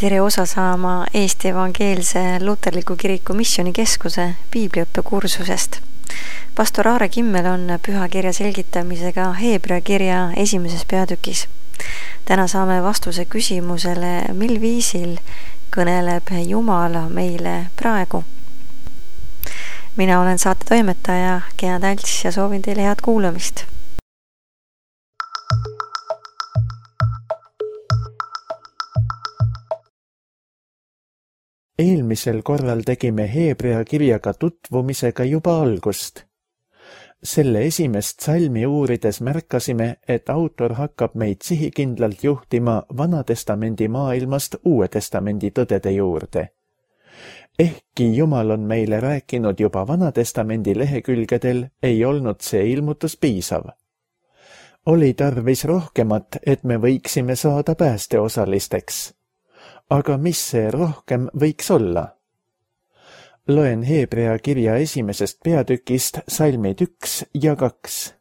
Tere osa saama Eesti Evangeelse Luterliku Kiriku Missioonikeskuse piibliõppekursusest. Pastor Aare Kimmel on pühakirja selgitamisega Heebrea kirja 1. peatükis. Täna saame vastuse küsimusele, mil viisil kõneleb Jumala meile praegu. Mina olen saate toimetaja Gea Talts ja soovin teile head kuulamist. Eelmisel korral tegime Heebrea kirjaga tutvumisega juba algust. Selle esimest salmi uurides märkasime, et autor hakkab meid sihikindlalt juhtima Vanatestamendi maailmast Uue Testamendi tõdede juurde. Ehkki Jumal on meile rääkinud juba Vanatestamendi lehekülgedel, ei olnud see ilmutus piisav. Oli tarvis rohkemat, et me võiksime saada päästeosalisteks. Aga mis see rohkem võiks olla? Loen Heebrea kirja 1. peatükist salmid 1 ja 2.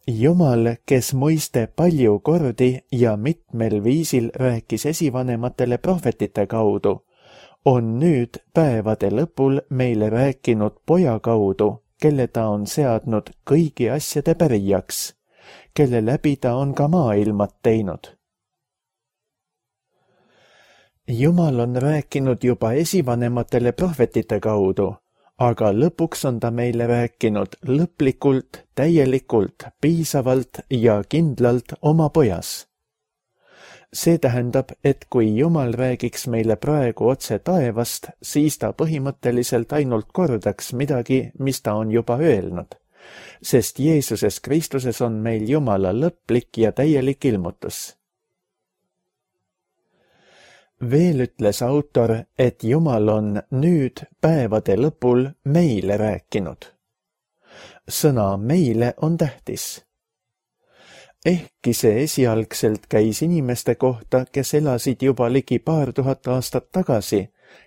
Jumal, kes muiste palju kordi ja mitmel viisil rääkis esivanematele prohvetite kaudu, on nüüd päevade lõpul meile rääkinud Poja kaudu, kelle ta on seadnud kõigi asjade pärijaks, kelle läbi ta on ka maailmad teinud. Jumal on rääkinud juba esivanematele prohvetite kaudu, aga lõpuks on ta meile rääkinud lõplikult, täielikult, piisavalt ja kindlalt oma Pojas. See tähendab, et kui Jumal räägiks meile praegu otse taevast, siis ta põhimõtteliselt ainult kordaks midagi, mis ta on juba öelnud, sest Jeesuses Kristuses on meil Jumala lõplik ja täielik ilmutus. Veel ütles autor, et Jumal on nüüd päevade lõpul meile rääkinud. Sõna meile on tähtis. Ehkki see esialgselt käis inimeste kohta, kes elasid juba ligi 2000 aastat tagasi,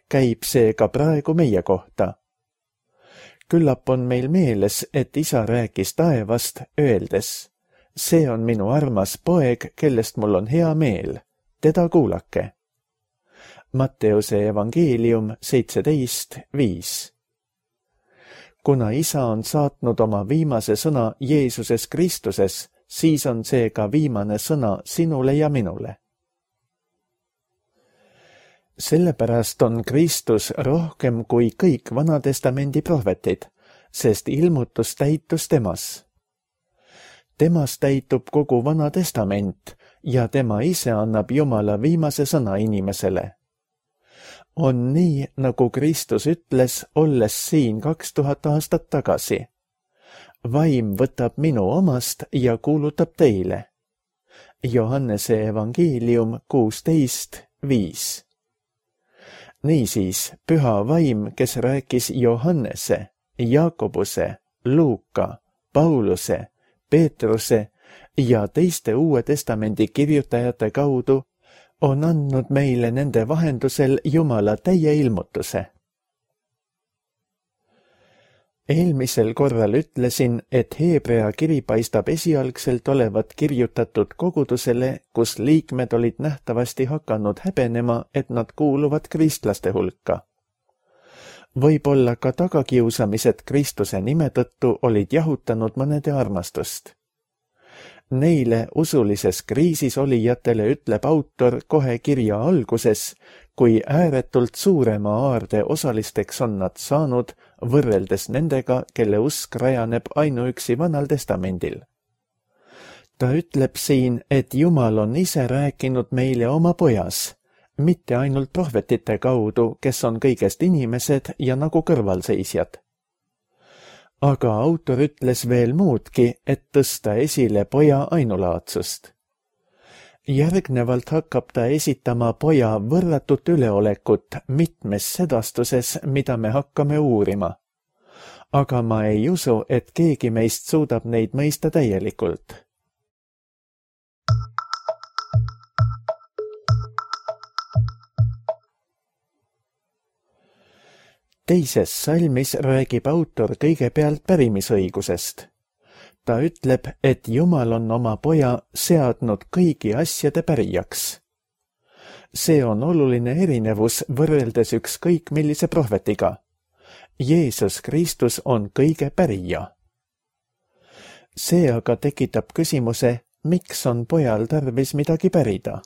käib see ka praegu meie kohta. Küllap on meil meeles, et isa rääkis taevast, öeldes, see on minu armas poeg, kellest mul on hea meel, teda kuulake. Matteuse evangeelium 17:5. Kuna isa on saatnud oma viimase sõna Jeesuses Kristuses, siis on see ka viimane sõna sinule ja minule. Sellepärast on Kristus rohkem kui kõik Vanatestamendi prohvetid, sest ilmutus täitus temas. Temas täitub kogu Vana Testament ja tema ise annab Jumala viimase sõna inimesele. On nii, nagu Kristus ütles, olles siin 2000 aastat tagasi. Vaim võtab minu omast ja kuulutab teile. Johannese evangeelium 16:5. Niisiis, püha vaim, kes rääkis Johannese, Jaakobuse, Luuka, Pauluse, Peetruse ja teiste Uue Testamendi kirjutajate kaudu, on andnud meile nende vahendusel Jumala täie ilmutuse. Eelmisel korral ütlesin, et Heebrea kiri paistab esialgselt olevat kirjutatud kogudusele, kus liikmed olid nähtavasti hakanud häbenema, et nad kuuluvad kristlaste hulka. Võib-olla ka tagakiusamised Kristuse nime tõttu olid jahutanud mõnede armastust. Neile usulises kriisis olijatele ütleb autor kohe kirja alguses, kui ääretult suurema aarde osalisteks on nad saanud, võrreldes nendega, kelle usk rajaneb ainuüksi Vanal Testamendil. Ta ütleb siin, et Jumal on ise rääkinud meile oma Pojas, mitte ainult prohvetite kaudu, kes on kõigest inimesed ja nagu kõrvalseisjad. Aga autor ütles veel muudki, et tõsta esile Poja ainulaadsust. Järgnevalt hakkab ta esitama Poja võrratut üleolekut mitmes sedastuses, mida me hakkame uurima. Aga ma ei usu, et keegi meist suudab neid mõista täielikult. Teises salmis räägib autor kõigepealt pärimisõigusest. Ta ütleb, et Jumal on oma Poja seadnud kõigi asjade pärijaks, See on oluline erinevus võrreldes ükskõik millise prohvetiga. Jeesus Kristus on kõige pärija. See aga tekitab küsimuse, miks on pojal tarvis midagi pärida.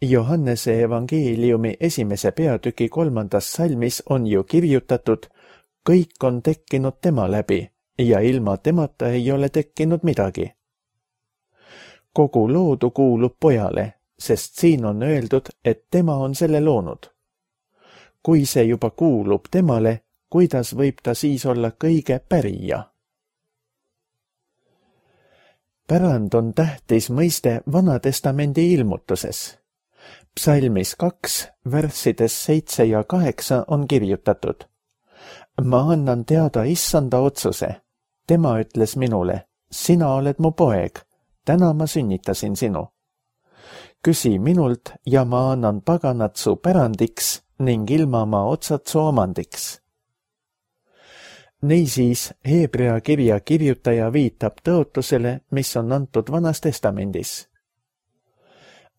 Johannese evangeeliumi 1. peatüki 3. salmis on ju kirjutatud, kõik on tekkinud tema läbi ja ilma temata ei ole tekkinud midagi. Kogu loodu kuulub pojale, sest siin on öeldud, et tema on selle loonud. Kui see juba kuulub temale, kuidas võib ta siis olla kõige pärija? Pärand on tähtis mõiste Vanatestamendi ilmutuses. Psalmis 2, värssides 7 ja 8 on kirjutatud. Ma annan teada issanda otsuse. Tema ütles minule, sina oled mu poeg, täna ma sünnitasin sinu. Küsi minult ja ma annan paganat su pärandiks ning ilmamaa otsad su omandiks. Niisiis, Heebrea kirja kirjutaja viitab tõotusele, mis on antud Vanas Testamendis.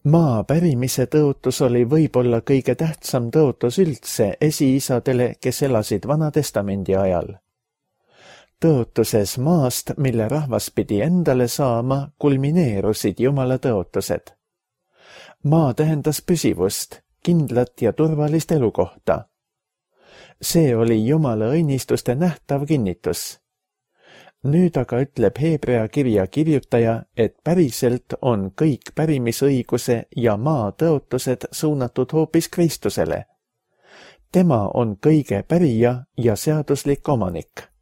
Maa pärimise tõotus oli võib-olla kõige tähtsam tõotus üldse esiisadele, kes elasid Vana Testamendi ajal. Tõotuses maast, mille rahvas pidi endale saama, kulmineerusid Jumala tõotused. Maa tähendas püsivust, kindlat ja turvalist elukohta. See oli Jumala õnnistuste nähtav kinnitus. Nüüd aga ütleb Heebrea kirja kirjutaja, et päriselt on kõik pärimisõiguse ja maa tõotused suunatud hoopis Kristusele. Tema on kõige pärija ja seaduslik omanik.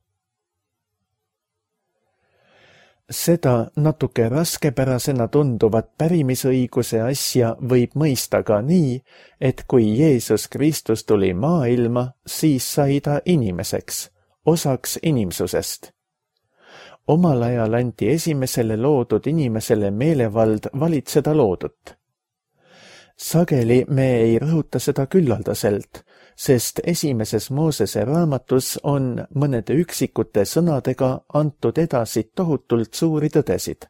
Seda natuke raskepärasena tunduvat pärimisõiguse asja võib mõista ka nii, et kui Jeesus Kristus tuli maailma, siis sai ta inimeseks, osaks inimsusest. Omal ajal anti esimesele loodud inimesele meelevald valitseda loodut. Sageli me ei rõhuta seda küllaldaselt, sest esimeses Moosese raamatus on mõnede üksikute sõnadega antud edasi tohutult suuri tõdesid.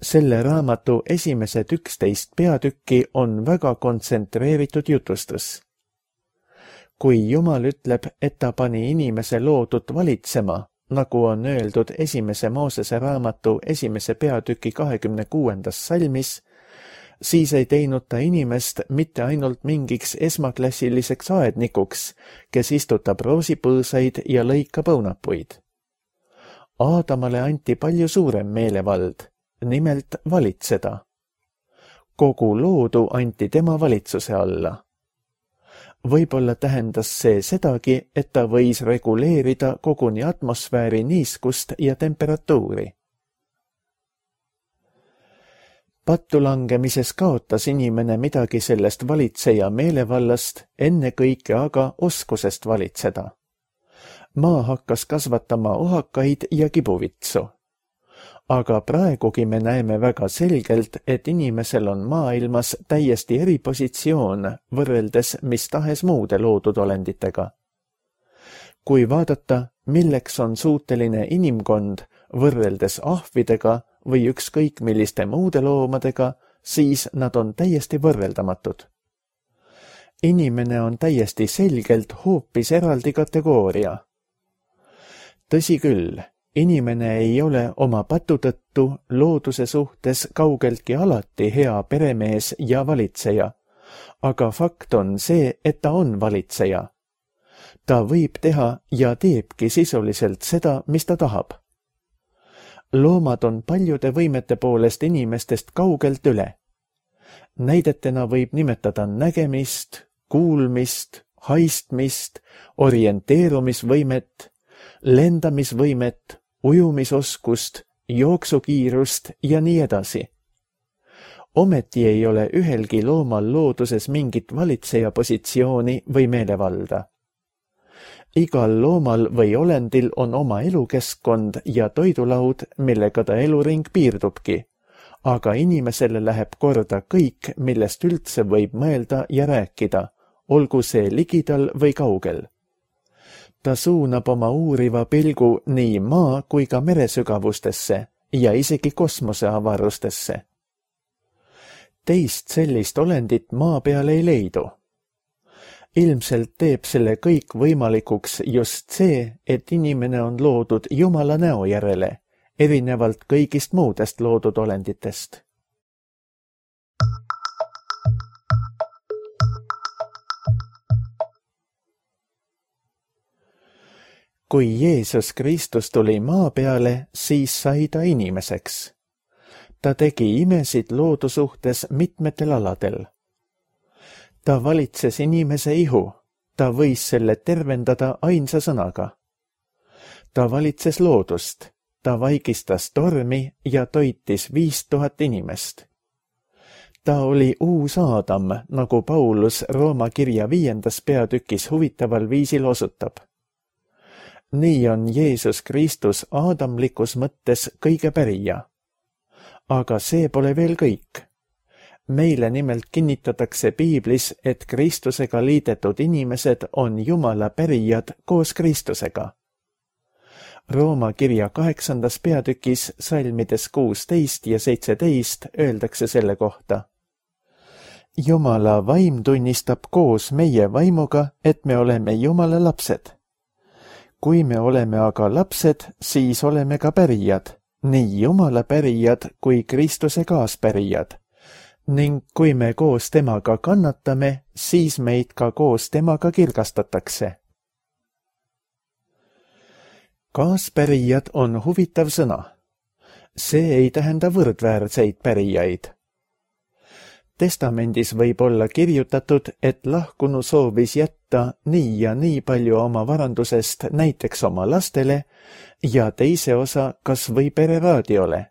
Selle raamatu esimesed 11 peatükki on väga kontsentreeritud jutustus. Kui Jumal ütleb, et ta pani inimese loodut valitsema, nagu on öeldud esimese Moosese raamatu 1. peatüki 26. salmis, siis ei teinud ta inimest mitte ainult mingiks esmaklassiliseks aednikuks, kes istutab roosipõõsaid ja lõikab õunapuid. Aadamale anti palju suurem meelevald, nimelt valitseda. Kogu loodu anti tema valitsuse alla. Võib-olla tähendas see sedagi, et ta võis reguleerida koguni atmosfääri niiskust ja temperatuuri. Pattu langemises kaotas inimene midagi sellest valitseja meelevallast, ennekõike aga oskusest valitseda. Maa hakkas kasvatama ohakaid ja kibuvitsu. Aga praegugi me näeme väga selgelt, et inimesel on maailmas täiesti eripositsioon võrreldes mis tahes muude loodud olenditega. Kui vaadata, milleks on suuteline inimkond võrreldes ahvidega või ükskõik milliste muude loomadega, siis nad on täiesti võrreldamatud. Inimene on täiesti selgelt hoopis eraldi kategooria. Tõsi küll, inimene ei ole oma patu tõttu looduse suhtes kaugeltki alati hea peremees ja valitseja, aga fakt on see, et ta on valitseja. Ta võib teha ja teebki sisuliselt seda, mis ta tahab. Loomad on paljude võimete poolest inimestest kaugelt üle. Näidetena võib nimetada nägemist, kuulmist, haistmist, orienteerumisvõimet, lendamisvõimet, ujumisoskust, jooksukiirust ja nii edasi. Ometi ei ole ühelgi loomal looduses mingit valitseja positsiooni või meelevalda. Igal loomal või olendil on oma elukeskkond ja toidulaud, millega ta eluring piirdubki, aga inimesele läheb korda kõik, millest üldse võib mõelda ja rääkida, olgu see ligidal või kaugel. Ta suunab oma uuriva pilgu nii maa kui ka meresügavustesse ja isegi kosmoseavarustesse. Teist sellist olendit maa peal ei leidu. Ilmselt teeb selle kõik võimalikuks just see, et inimene on loodud Jumala näo järele, erinevalt kõigist muudest loodud olenditest. Kui Jeesus Kristus tuli maa peale, siis sai ta inimeseks. Ta tegi imesid loodu suhtes mitmetel aladel. Ta valitses inimese ihu, ta võis selle tervendada ainsa sõnaga. Ta valitses loodust, ta vaigistas tormi ja toitis 5000 inimest. Ta oli uus Aadam, nagu Paulus Rooma kirja 5. peatükis huvitaval viisil osutab. Nii on Jeesus Kristus aadamlikus mõttes kõige pärija. Aga see pole veel kõik. Meile nimelt kinnitatakse piiblis, et Kristusega liidetud inimesed on Jumala pärijad koos Kristusega. Rooma kirja 8. peatükis salmides 16 ja 17 öeldakse selle kohta. Jumala vaim tunnistab koos meie vaimuga, et me oleme Jumala lapsed. Kui me oleme aga lapsed, siis oleme ka pärijad, nii Jumala pärijad kui Kristuse kaaspärijad. Ning kui me koos temaga kannatame, siis meid ka koos temaga kirgastatakse. Kaaspärijad on huvitav sõna. See ei tähenda võrdväärseid pärijaid. Testamendis võib olla kirjutatud, et lahkunu soovis jätta nii ja nii palju oma varandusest näiteks oma lastele ja teise osa kas või pereraadiole.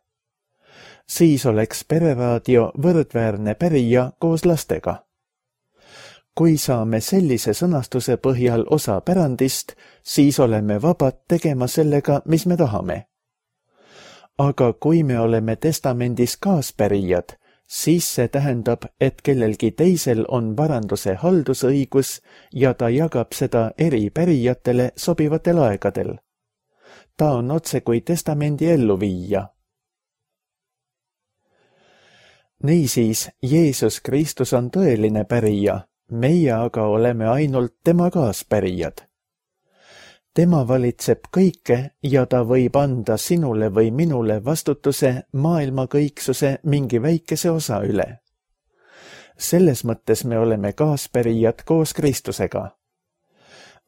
Siis oleks pereraadio võrdväärne pärija koos lastega. Kui saame sellise sõnastuse põhjal osa pärandist, siis oleme vabad tegema sellega, mis me tahame. Aga kui me oleme testamendis kaaspärijad, siis see tähendab, et kellelgi teisel on varanduse haldusõigus ja ta jagab seda eri pärijatele sobivatel aegadel. Ta on otse kui testamendi elluviija. Niisiis, Jeesus Kristus on tõeline pärija, meie aga oleme ainult tema kaaspärijad. Tema valitseb kõike ja ta võib anda sinule või minule vastutuse maailma kõiksuse mingi väikese osa üle. Selles mõttes me oleme kaaspärijad koos Kristusega.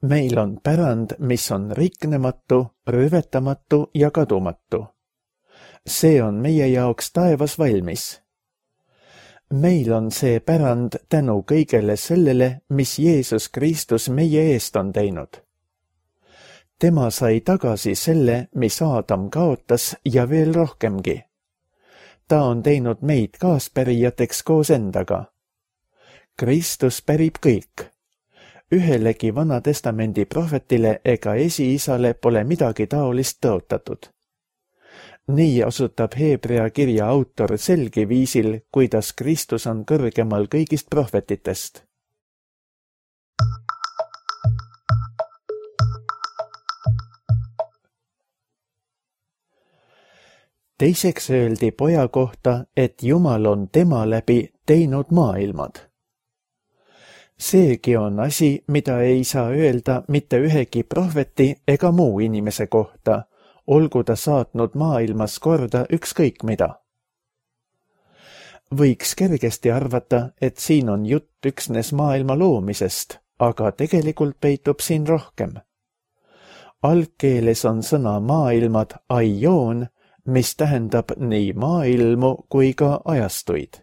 Meil on pärand, mis on riknematu, rüvetamatu ja kadumatu. See on meie jaoks taevas valmis. Meil on see pärand tänu kõigele sellele, mis Jeesus Kristus meie eest on teinud. Tema sai tagasi selle, mis Aadam kaotas ja veel rohkemgi. Ta on teinud meid kaaspärijateks koos endaga. Kristus pärib kõik. Ühelegi Vana Testamendi prohvetile ega esiisale pole midagi taolist tõotatud. Nii osutab Heebrea kirja autor selge viisil, kuidas Kristus on kõrgemal kõigist prohvetitest. Teiseks öeldi poja kohta, et Jumal on tema läbi teinud maailmad. Seegi on asi, mida ei saa öelda mitte ühegi prohveti ega muu inimese kohta, olgu ta saatnud maailmas korda ükskõik mida. Võiks kergesti arvata, et siin on jutt üksnes maailma loomisest, aga tegelikult peitub siin rohkem. Algkeeles on sõna maailmad aion, mis tähendab nii maailmu kui ka ajastuid.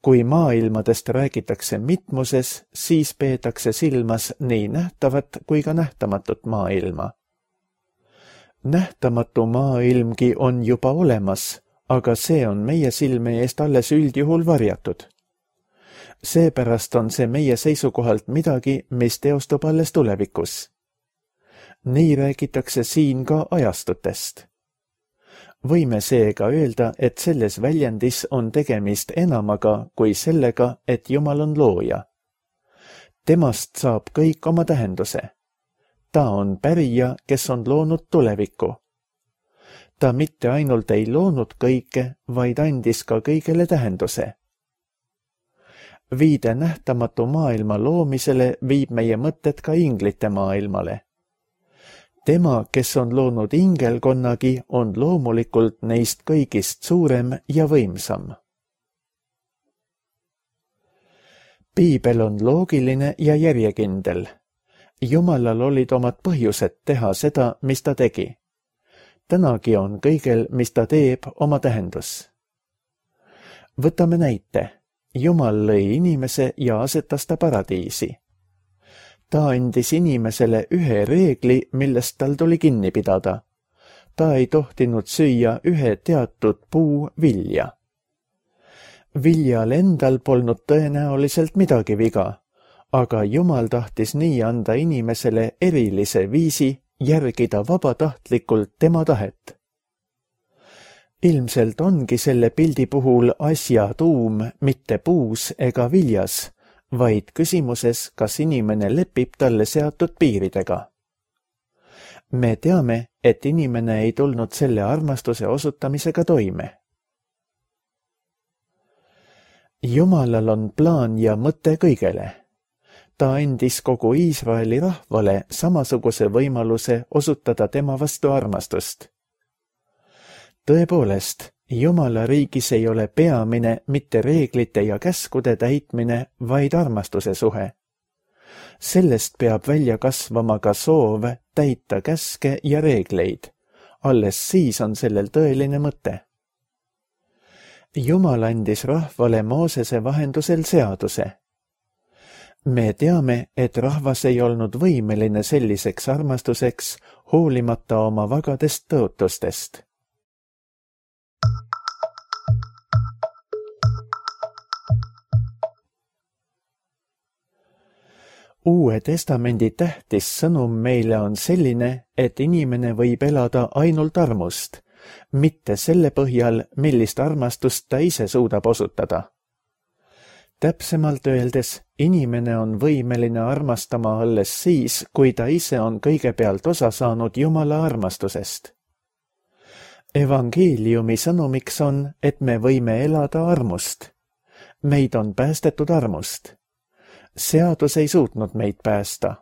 Kui maailmadest räägitakse mitmuses, siis peetakse silmas nii nähtavat kui ka nähtamatut maailma. Nähtamatu maailmgi on juba olemas, aga see on meie silme eest alles üldjuhul varjatud. Seepärast on see meie seisukohalt midagi, mis teostub alles tulevikus. Nii räägitakse siin ka ajastutest. Võime seega öelda, et selles väljendis on tegemist enamaga kui sellega, et Jumal on looja. Temast saab kõik oma tähenduse. Ta on pärija, kes on loonud tulevikku. Ta mitte ainult ei loonud kõike, vaid andis ka kõigele tähenduse. Viide nähtamatu maailma loomisele viib meie mõtted ka inglite maailmale. Tema, kes on loonud ingelkonnagi, on loomulikult neist kõigist suurem ja võimsam. Piibel on loogiline ja järjekindel. Jumalal olid omad põhjused teha seda, mis ta tegi. Tänagi on kõigel, mis ta teeb, oma tähendus. Võtame näite. Jumal lõi inimese ja asetas ta paradiisi. Ta andis inimesele ühe reegli, millest tal tuli kinni pidada. Ta ei tohtinud süüa ühe teatud puu vilja. Viljal endal polnud tõenäoliselt midagi viga, aga Jumal tahtis nii anda inimesele erilise viisi järgida vabatahtlikult tema tahet. Ilmselt ongi selle pildi puhul asja tuum mitte puus ega viljas, vaid küsimuses, kas inimene lepib talle seatud piiridega. Me teame, et inimene ei tulnud selle armastuse osutamisega toime. Jumalal on plaan ja mõte kõigele. Ta andis kogu Iisraeli rahvale samasuguse võimaluse osutada tema vastu armastust. Tõepoolest, Jumala riigis ei ole peamine mitte reeglite ja käskude täitmine, vaid armastuse suhe. Sellest peab välja kasvama ka soov täita käske ja reegleid. Alles siis on sellel tõeline mõte. Jumal andis rahvale Moosese vahendusel seaduse. Me teame, et rahvas ei olnud võimeline selliseks armastuseks, hoolimata oma vagadest tõotustest. Uue testamendi tähtis sõnum meile on selline, et inimene võib elada ainult armust, mitte selle põhjal, millist armastust ta ise suudab osutada. Täpsemalt öeldes, inimene on võimeline armastama alles siis, kui ta ise on kõigepealt osa saanud Jumala armastusest. Evangeeliumi sõnumiks on, et me võime elada armust. Meid on päästetud armust. Seadus ei suutnud meid päästa.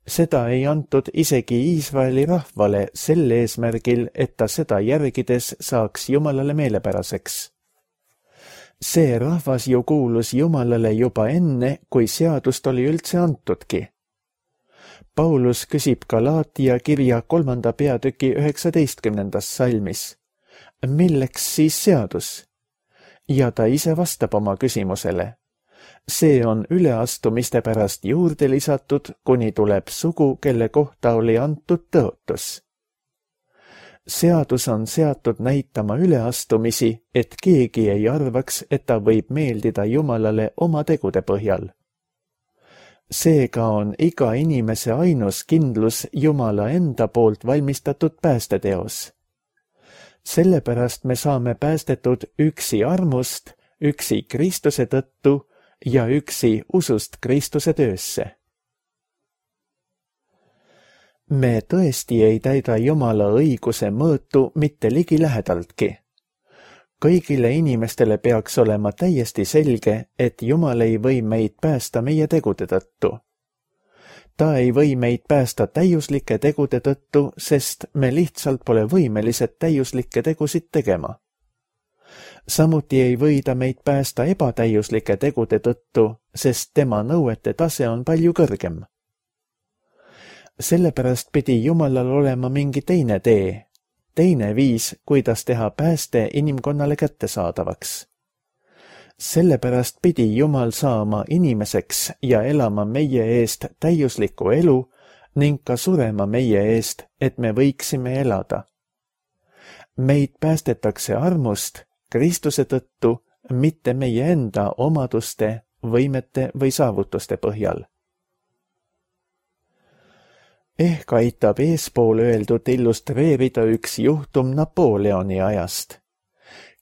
Seda ei antud isegi Iisraeli rahvale sel eesmärgil, et ta seda järgides saaks Jumalale meelepäraseks. See rahvas ju kuulus Jumalale juba enne, kui seadust oli üldse antudki. Paulus küsib Galaatia kirja 3. peatüki 19. salmis. Milleks siis seadus? Ja ta ise vastab oma küsimusele. See on üleastumiste pärast juurde lisatud, kuni tuleb sugu, kelle kohta oli antud tõotus. Seadus on seatud näitama üleastumisi, et keegi ei arvaks, et ta võib meeldida Jumalale oma tegude põhjal. Seega on iga inimese ainus kindlus Jumala enda poolt valmistatud päästeteos. Sellepärast me saame päästetud üksi armust, üksi Kristuse tõttu ja üksi usust Kristuse töösse. Me tõesti ei täida Jumala õiguse mõõtu mitte ligilähedaltki. Kõigile inimestele peaks olema täiesti selge, et Jumal ei või meid päästa meie tegude tõttu. Ta ei või meid päästa täiuslike tegude tõttu, sest me lihtsalt pole võimelised täiuslikke tegusid tegema. Samuti ei või ta meid päästa ebatäiuslike tegude tõttu, sest tema nõuete tase on palju kõrgem. Sellepärast pidi Jumalal olema mingi teine tee, teine viis, kuidas teha pääste inimkonnale kättesaadavaks. Sellepärast pidi Jumal saama inimeseks ja elama meie eest täiuslikku elu ning ka surema meie eest, et me võiksime elada. Meid päästetakse armust Kristuse tõttu, mitte meie enda omaduste, võimete või saavutuste põhjal. Ehk aitab eespool öeldud illustreerida üks juhtum Napoleoni ajast.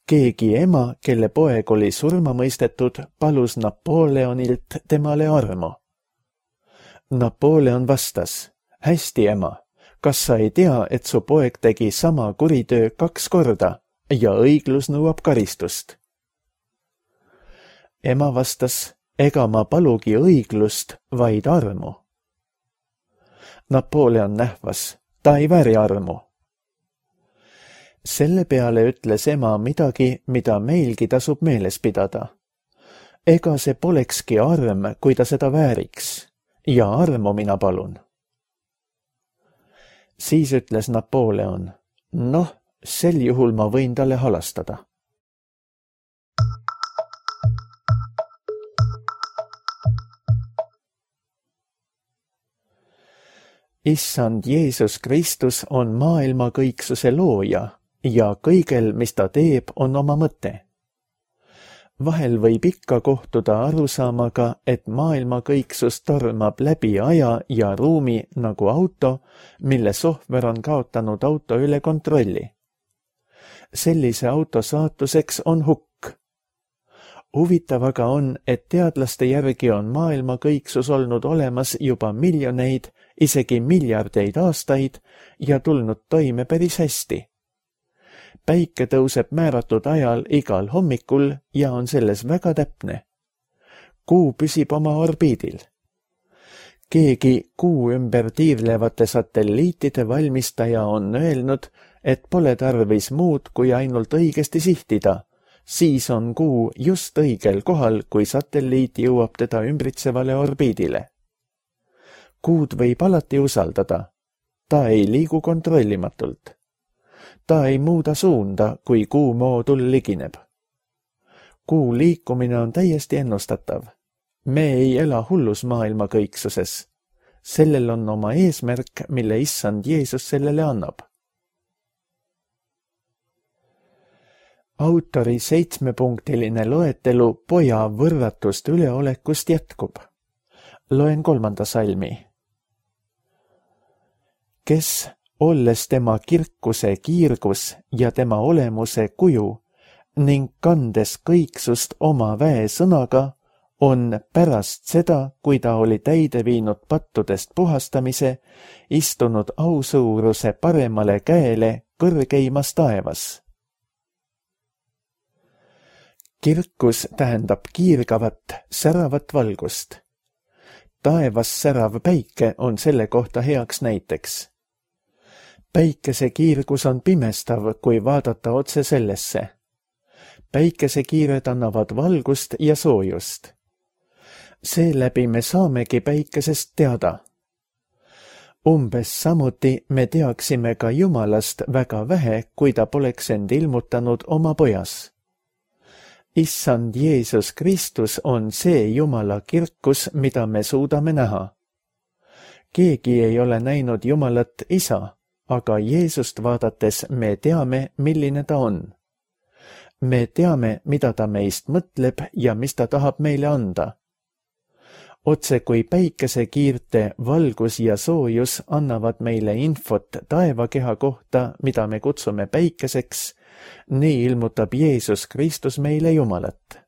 Keegi ema, kelle poeg oli surma mõistetud, palus Napoleonilt temale armu. Napoleon vastas, hästi ema, kas sa ei tea, et su poeg tegi sama kuritöö 2 korda ja õiglus nõuab karistust? Ema vastas, ega ma palugi õiglust, vaid armu. Napoleon nähvas, ta ei vääri armu. Selle peale ütles ema midagi, mida meilgi tasub meeles pidada. Ega see polekski arm, kui ta seda vääriks, ja armu mina palun. Siis ütles Napoleon, noh, sel juhul ma võin talle halastada. Issand Jeesus Kristus on maailma kõiksuse looja ja kõigel, mis ta teeb, on oma mõte. Vahel võib ikka kohtuda arusaamaga, et maailma kõiksus tormab läbi aja ja ruumi nagu auto, mille sohver on kaotanud auto üle kontrolli. Sellise auto saatuseks on hukk. Huvitav aga on, et teadlaste järgi on maailma kõiksus olnud olemas juba miljoneid, isegi miljardeid aastaid ja tulnud toime päris hästi. Päike tõuseb määratud ajal igal hommikul ja on selles väga täpne. Kuu püsib oma orbiidil. Keegi kuu ümber tiirlevate satelliitide valmistaja on öelnud, et pole tarvis muud kui ainult õigesti sihtida. Siis on kuu just õigel kohal, kui satelliit jõuab teda ümbritsevale orbiidile. Kuud võib alati usaldada. Ta ei liigu kontrollimatult. Ta ei muuda suunda, kui kuu moodul ligineb. Kuu liikumine on täiesti ennustatav. Me ei ela hullus maailma kõiksuses. Sellel on oma eesmärk, mille issand Jeesus sellele annab. Autori 7-punktiline loetelu poja võrratust üleolekust jätkub. Loen 3. salmi. Kes, olles tema kirkuse kiirgus ja tema olemuse kuju ning kandes kõiksust oma väesõnaga, on pärast seda, kui ta oli täide viinud pattudest puhastamise, istunud ausuuruse paremale käele kõrgeimas taevas. Kirkus tähendab kiirgavat, säravat valgust. Taevas särav päike on selle kohta heaks näiteks. Päikese kiirgus on pimestav, kui vaadata otse sellesse. Päikesekiired annavad valgust ja soojust. Seeläbi me saamegi päikesest teada. Umbes samuti me teaksime ka Jumalast väga vähe, kui ta poleks end ilmutanud oma pojas. Issand Jeesus Kristus on see Jumala kirkus, mida me suudame näha. Keegi ei ole näinud Jumalat isa, aga Jeesust vaadates me teame, milline ta on. Me teame, mida ta meist mõtleb ja mis ta tahab meile anda. Otse kui päikesekiirte valgus ja soojus annavad meile infot taevakeha kohta, mida me kutsume päikeseks, nii ilmutab Jeesus Kristus meile Jumalat.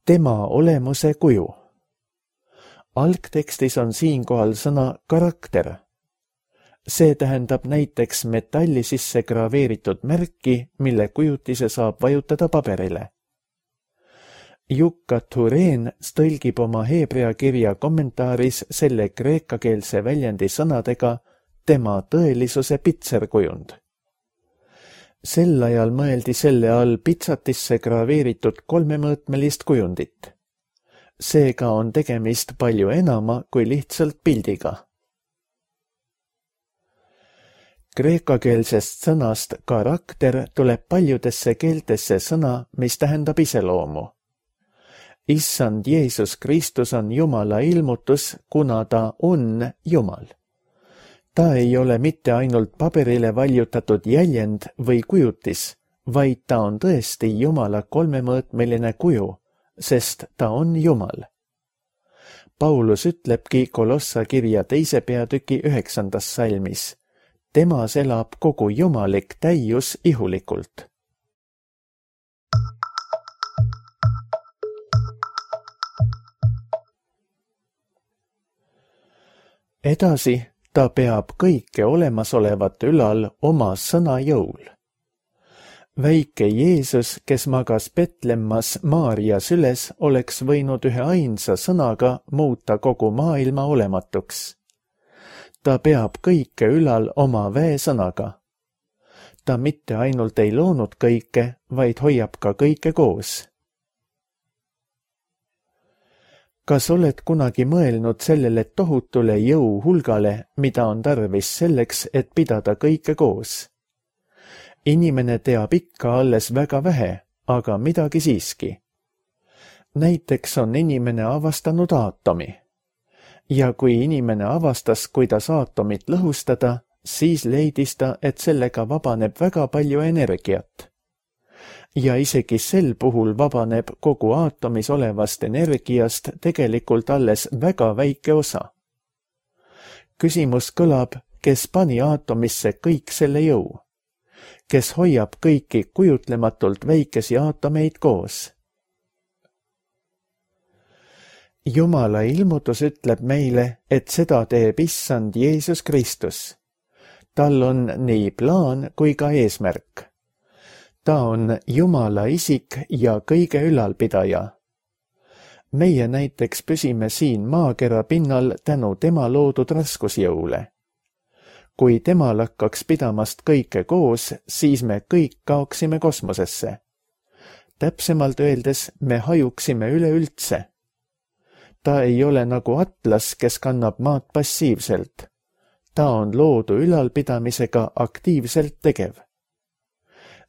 Tema olemuse kuju. Algtekstis on siinkohal sõna karakter. See tähendab näiteks metalli sisse graveeritud märki, mille kujutise saab vajutada paberile. Jukka Tureen tõlgib oma heebrea kirja kommentaaris selle kreekakeelse väljendi sõnadega tema tõelisuse pitserkujund. Sel ajal mõeldi selle all pitsatisse graveeritud 3-mõõtmelist kujundit. Seega on tegemist palju enama kui lihtsalt pildiga. Kreekakeelsest sõnast karakter tuleb paljudesse keeltesse sõna, mis tähendab iseloomu. Issand Jeesus Kristus on Jumala ilmutus, kuna ta on Jumal. Ta ei ole mitte ainult paberile valjutatud jäljend või kujutis, vaid ta on tõesti Jumala 3-mõõtmeline kuju, sest ta on Jumal. Paulus ütlebki Kolossa kirja 2. peatüki 9. salmis. Temas elab kogu jumalik täius ihulikult. Edasi ta peab kõike olemasolevat ülal oma sõna jõul. Väike Jeesus, kes magas Betlemmas Maaria süles, oleks võinud ühe ainsa sõnaga muuta kogu maailma olematuks. Ta peab kõike ülal oma väesõnaga. Ta mitte ainult ei loonud kõike, vaid hoiab ka kõike koos. Kas oled kunagi mõelnud sellele tohutule jõuhulgale, mida on tarvis selleks, et pidada kõike koos? Inimene teab ikka alles väga vähe, aga midagi siiski. Näiteks on inimene avastanud aatomi. Ja kui inimene avastas, kuidas aatomit lõhustada, siis leidis ta, et sellega vabaneb väga palju energiat. Ja isegi sel puhul vabaneb kogu aatomis olevast energiast tegelikult alles väga väike osa. Küsimus kõlab, kes pani aatomisse kõik selle jõu? Kes hoiab kõiki kujutlematult väikesi aatomeid koos? Jumala ilmutus ütleb meile, et seda teeb Issand Jeesus Kristus. Tal on nii plaan kui ka eesmärk. Ta on Jumala isik ja kõige ülalpidaja. Meie näiteks püsime siin maakera pinnal tänu tema loodud raskusjõule. Kui tema lakkaks pidamast kõike koos, siis me kõik kaoksime kosmosesse. Täpsemalt öeldes me hajuksime üleüldse. Ta ei ole nagu atlas, kes kannab maad passiivselt. Ta on loodu ülalpidamisega aktiivselt tegev.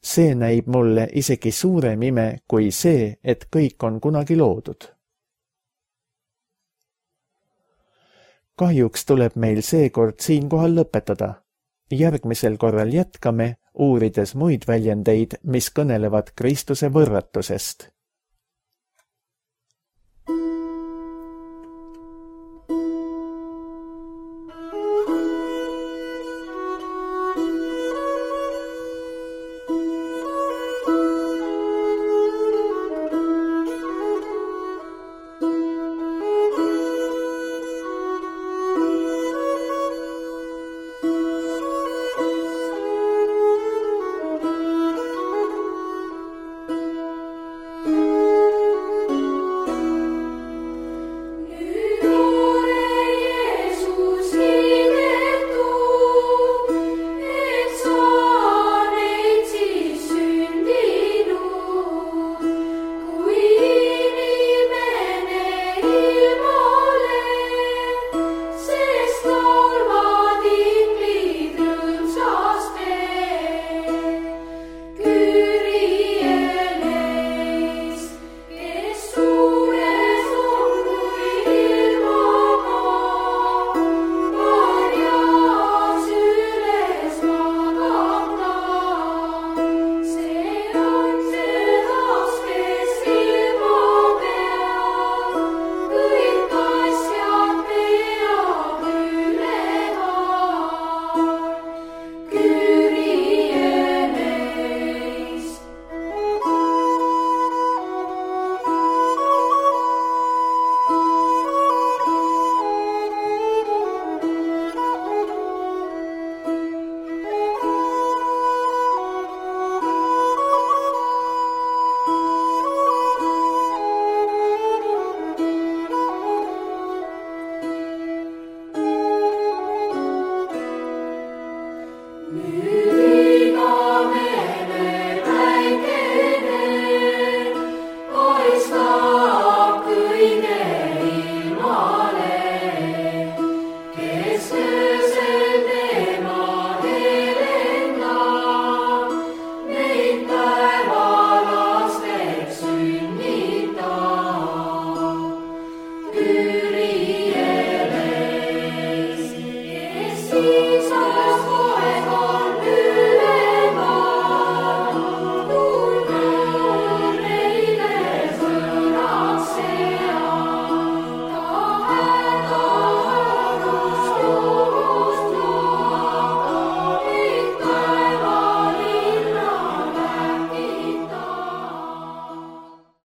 See näib mulle isegi suurem ime kui see, et kõik on kunagi loodud. Kahjuks tuleb meil seekord siinkohal lõpetada. Järgmisel korral jätkame, uurides muid väljendeid, mis kõnelevad Kristuse võrratusest.